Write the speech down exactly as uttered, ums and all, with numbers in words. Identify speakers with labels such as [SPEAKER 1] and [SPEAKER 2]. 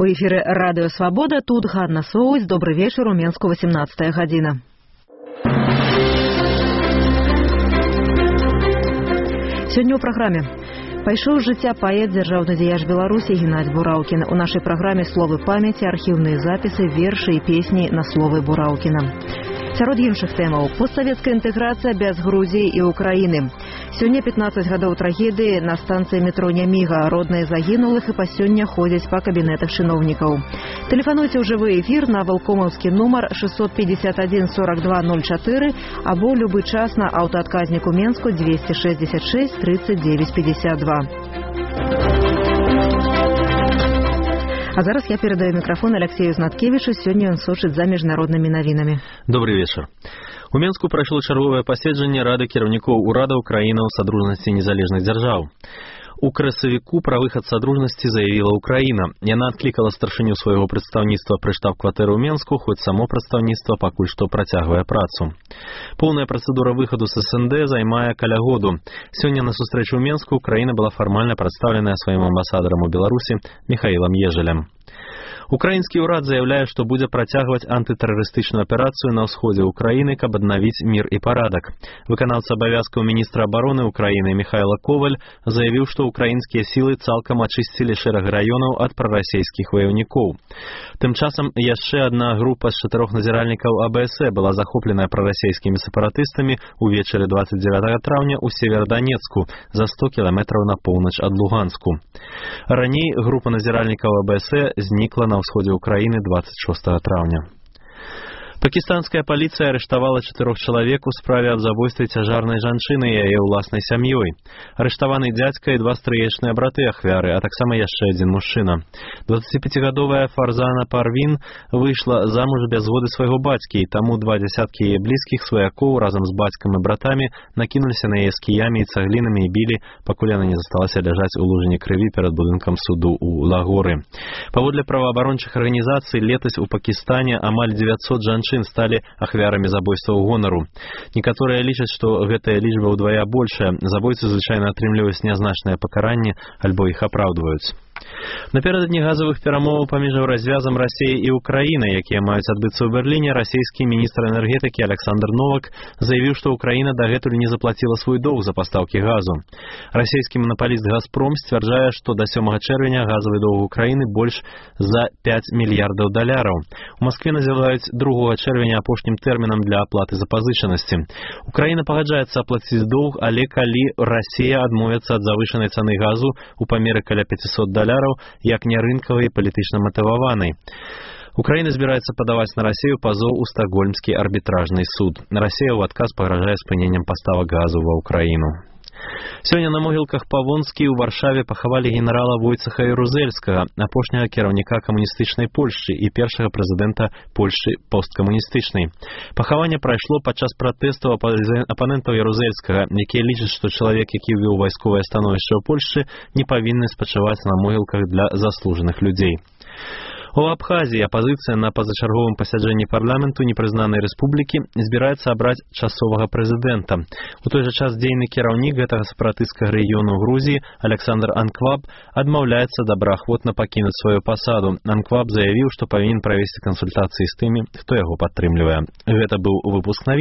[SPEAKER 1] У эфіры Радыё Свабода, тут Ганна Соусь. Добрый вечер, у Менску восемнадцатая гадзіна. Сёння ў праграме. Пайшоў з жыцця паэт, дзяржаўны дзеяч Беларусі Геннадзь Бураўкін. У нашай праграме словы памяці, архіўныя запісы, вершы і песні на словы Бураўкіна. Сярод іншых тэмаў – постсавецкая інтэграцыя без Грузіі і Украіны. Сёння пятнаццаць гадоў трагедыі на станцыі метро Няміга. Родныя загінулых і па сёння ходзяць па кабінетах чыноўнікаў. Тэлефануйце ў жывы эфір на валкомаўскі нумар шестьсот пятьдесят один сорок два ноль четыре або любы час на аўтаадказніку Менску двести шестьдесят шесть тридцать девять пятьдесят два. А зараз я передаю микрофон Алексею Знаткевичу. Сёння ён сочыць за міжнароднымі навінамі.
[SPEAKER 2] Добрый вечер. У Менску прайшло чарговае паседжанне Рады кіраўнікоў урадаў краінаў Садружнасці незалежных дзяржаў. У красавіку пра выхад Садружнасці заявіла Украіна. Яна адклікала старшыню свайго прадстаўніцтва пры штаб-кватэры ў Менску, хоць само прадстаўніцтва пакуль што працягвае працу. Поўная працэдура выхаду з СНД займае каля году. Сёння на сустрэчу ў Менску Украіна была фармальна прадстаўленая сваім амбасадарам у Беларусі Михаілам Ежелем. Украінскі ўрад заяўляе, што будзе працягваць антытэрарыстычную аперацыю на ўсходзе Украіны, каб аднавіць мір і парадак. Выканаўца абавязкаў міністра абароны Украіны Михайло Коваль заявіў, што украінскія сілы цалкам ачысцілі шэраг раёнаў ад прарасійскіх ваяўнікоў. Тым часам яшчэ адна група з чатырох назіральнікаў А Бэ Эс Э была захопленая прарасійскімі сепаратыстамі ўвечары двадцать девятого траўня ў Северодонецку, за сто кіламетраў на поўнач ад Луганску. Раней група назіральнікаў А Бэ Эс Э знікла на ўсходзе Украіны двадцать шостого траўня. Пакістанская паліцыя арыштавала чатырох чалавек у справе аб забойстве цяжарнай жанчыны і яе ўласнай сям'ёй. Арыштаваны дзядзька і два стрыечныя браты ахвяры, а таксама яшчэ адзін мужчына. дваццаціпяцігадовая Фарзана Парвін выйшла замуж без згоды свайго бацькі, і таму два дзясяткі яе блізкіх сваякоў разам з бацькам і братамі накінуліся на яе з кіямі і цаглінамі і білі, пакуль яна не засталася ляжаць у лужыне крыві перад будынкам суду ў Лагоры. Паводле праваабарончых арганізацый, летась у Пакістане амаль дзевяцьсот жанчын сталі ахвярамі забойстваў гонару. Некаторыя лічаць, што гэтая лічба ўдвая большая. Забойцы звычайна атрымліваюць нязначнае пакаранне альбо іх апраўдваюць. Напярэдадні газавых перамоваў паміж развязам Расіі і Украіны, якія маюць адбыцца ў Берліне, расійскі міністр энергетыкі Александр Новак заявіў, што Украіна дагэтуль не заплаціла свой доўг за пастаўкі газу. Расійскі манапаліст «Газпром» сцвярджае, што да сёмага чэрвеня газавы доўг Украіны больш за пяць мільярдаў даляраў. У Маскве называюць другога чэрвеня апошнім тэрмінам для аплаты запазычанасці. Украіна пагаджаецца аплаціць доўг, але калі Расія адмовіцца ад завышанай цаны газу у памеры каля пятьсот даляраў, як не рынкавай і палітычна матываванай. Украіна збіраецца падаваць на Расію пазоў у Стакгольмскі арбітражны суд. Расія ў адказ пагражае спыненнем паставак газу ва Украіну. Сёння на могілках Павонскі ў Варшаве пахавалі генерала Войцеха Ярузельскага, апошняга кіраўніка камуністычнай Польшчы і першага прэзідэнта Польшчы посткамуністычнай. Пахаванне прайшло падчас пратэстаў апанентаў Ярузельскага, якія лічаць, што чалавек, які ввёў вайсковае становішча ў Польшчы, не павінны спачываць на могілках для заслужаных людзей. У Абхазіі апазіцыя на пазачарговым пасяджэнні парламенту непрызнанай рэспублікі збіраецца абраць часовага прэзідэнта. У той жа час дзейны кіраўнік гэтага сепаратысцкага рэгіёну Грузіі Александр Анкваб адмаўляецца добраахвотна пакінуць сваю пасаду. Анкваб заявіў, што павінен правесці кансультацыі з тымі, хто яго падтрымлівае. Гэта быў выпуск навін.